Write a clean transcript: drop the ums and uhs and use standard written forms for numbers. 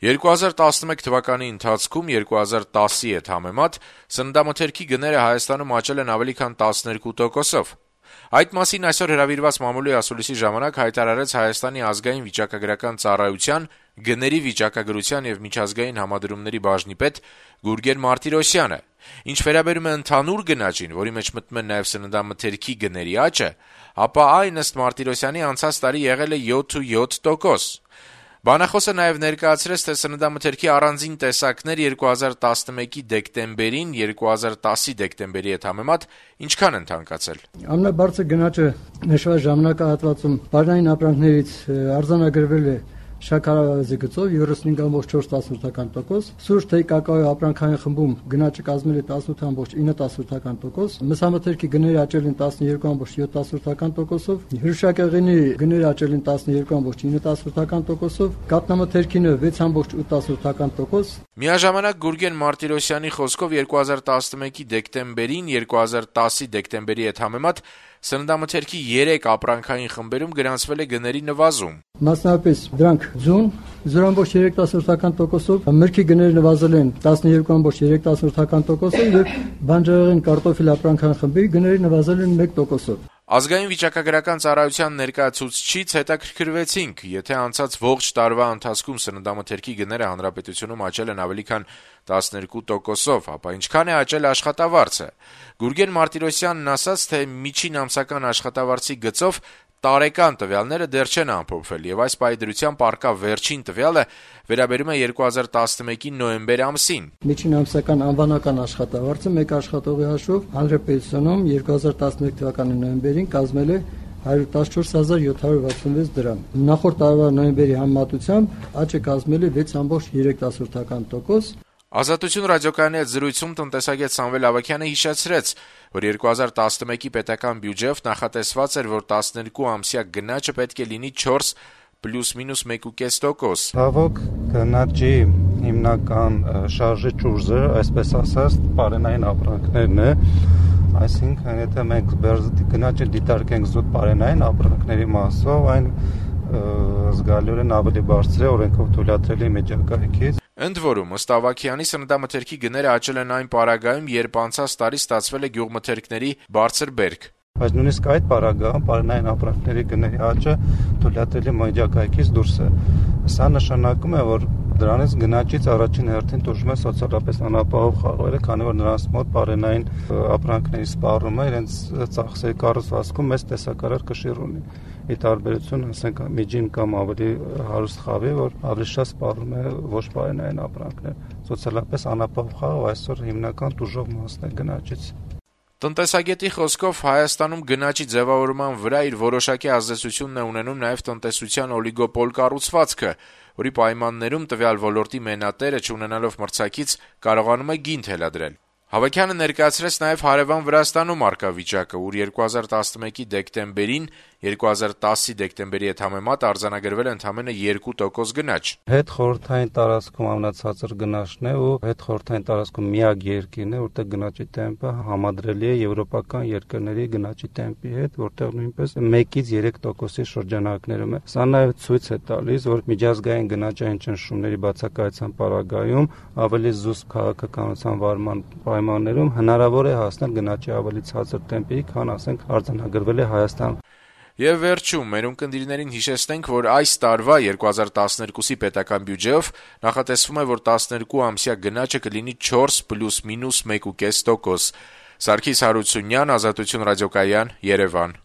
2011 թվականի ընթացքում 2010-ի հետ համեմատ սննդամթերքի գները Հայաստանում աճել են ավելի քան 12%-ով։ Այդ մասին այսօր հրավիրված մամուլի ասուլիսի ժամանակ հայտարարեց Հայաստանի ազգային վիճակագրական ծառայության գների վիճակագրության եւ միջազգային համադրումների բաժնի պետ Գուրգեն Մարտիրոսյանը։ Ինչ վերաբերում է ընդհանուր գնաճին, որի մեջ մտնում են նաեւ սննդամթերքի գների աճը, ապա այն ըստ Մարտիրոսյանի անցած տարի եղել է 7.7%։ Բանախոսը նաև ներկայացրեց, թե սննդամթերքի առանձին տեսակներ 2011-ի դեկտեմբերին 2010-ի դեկտեմբերի հետ համեմատ ինչքան են թանկացել։ Ամենաբարձր գնաճը նշված ժամանակահատվածում բաժնային ապրանքներից արձանագրվել է շաքարավազի գծով 35.4%, սուրճ թեյ կակաոյի ապրանքային խմբում գնաճը կազմել է 18.9%, մսամթերքի գները աճել են 12.7%-ով, հյուրշակեղենի գները աճել են 12.9%-ով, կաթնամթերքինը 6.8%։ Միաժամանակ Գուրգեն Մարտիրոսյանի խոսքով 2011-ի դեկտեմբերին 2010-ի դեկտեմբերի հետ համեմատ սննդամթերքի 3 ապրանքային խմբերում գրանցվել է գների նվազում։ Մասնավորապես դրանք ձուն 0.3%-ով, մրգի գները նվազել են 12.3%-ով եւ բանջարեղեն կարտոֆիլ ապրանքային խմբի գները նվազել են 1%-ով։ Ազգային վիճակագրական ծառայության ներկայացուցչից հետաքրքրվեցինք, եթե անցած ողջ տարվա ընթացքում սննդամթերքի գները հանրապետությունում աճել են ավելի քան 12%-ով, ապա ինչքան է աճել աշխատավարձը։ Գուրգեն Մարտիրոսյանն ասաց, թե միջին ամսական աշխատավարձի գծով տարեկան տվյալները դեռ չեն ամփոփվել եւ այս պայդրությամբ առկա վերջին տվյալը վերաբերում է 2011-ի նոյեմբեր ամսին։ Միջին ամսական անվանական աշխատավարձը մեկ աշխատողի հաշվով հանրապետությունում 2011 թվականի նոյեմբերին կազմել է 114.766 դրամ։ Նախորդ տարվա նոյեմբերի համեմատությամբ աճը կազմել է 6.3%։ Ազատություն ռադիոկայանի հետ զրույցում տնտեսագետ Սամվել Ավագյանը հիշեցրեց, որ 2011-ի պետական բյուջեով նախատեսված էր, որ 12 ամսյա գնաճը պետք է լինի 4 +- 1.5%։ Ցավոք գնաճի հիմնական շարժիչ ուժը, այսպես ասած, պարենային ապրանքներն է, այսինքն եթե մենք գնաճը դիտարկենք զուտ պարենային ապրանքների մասով, այն զգալիորեն ավելի բարձր է օրենքով թույլատրելի միջակայքից։ Ընդ որում, ըստ Ավագյանի, սննդամթերքի գները աճել են այն պարագայում, երբ անցած տարի ստացվել է գյուղմթերքների բարձր բերք։ Բայց նույնիսկ այդ պարագայում պարենային ապրանքների գների աճը թույլատրելի միջակայքից դուրս է։ Սա նշանակում է, որ դրանից գնաճից առաջին հերթին տուժում է սոցիալապես անապահով խաղերը, քանի որ նրանց մոտ պարենային ապրանքների սպառումը իրենց ծախսերի կառուցվածքում մեծ տեսակարար կշիռ ունի։ Ի տարբերություն, ասենք, միջին կամ ավելի հարուստ խավի, որ ավելի շատ սպառում է ոչ պարենային ապրանքներ։ Սոցիալապես անապահով խաղը այսօր հիմնական տուժող մասն է գնաճից։ Տնտեսագետի խոսքով Հայաստանում գնաճի ձևավորման վրա իր որոշակի ազդեցությունն է ունենում նաև տնտեսության օլիգոպոլ կառուցվածքը, որի պայմաններում տվյալ ոլորտի մենատերը չունենալով մրցակից կարողանում է գին թելադրել։ Հավաքյանը ներկայացրեց նաև հարևան Վրաստանում առկա վիճակը, ուր 2011-ի դեկտեմբերին 2010-ի դեկտեմբերի հետ համեմատ արձանագրվել է ընդամենը 2% գնաճ։ Հետ խորհրդային տարածքում ամենացածր գնաճն է ու հետ խորհրդային տարածքում միակ երկիրն է, որտեղ գնաճի տեմպը համադրելի է եվրոպական երկրների գնաճի տեմպի հետ, որտեղ նույնպես 1-ից 3%-ի շրջանակներում է։ Սա նաև ցույց է տալիս, որ միջազգային գնաճային ճնշումների բացակայության պարագայում ավելի զուսպ քաղաքականության վարման պայմաններում հնարավոր է հասնել գնաճի ավելի ցածր տեմպի, քան ասենք արձանագրվել է Հայաստանում։ Եվ վերջում մեր ունկնդիրներին հիշեցնենք, որ այս տարվա 2012-ի պետական բյուջեով նախատեսվում է, որ 12 ամսյա գնաճը կլինի 4 +- 1.5%։ Սարգիս Հարությունյան, Ազատություն ռադիոկայան, Երևան։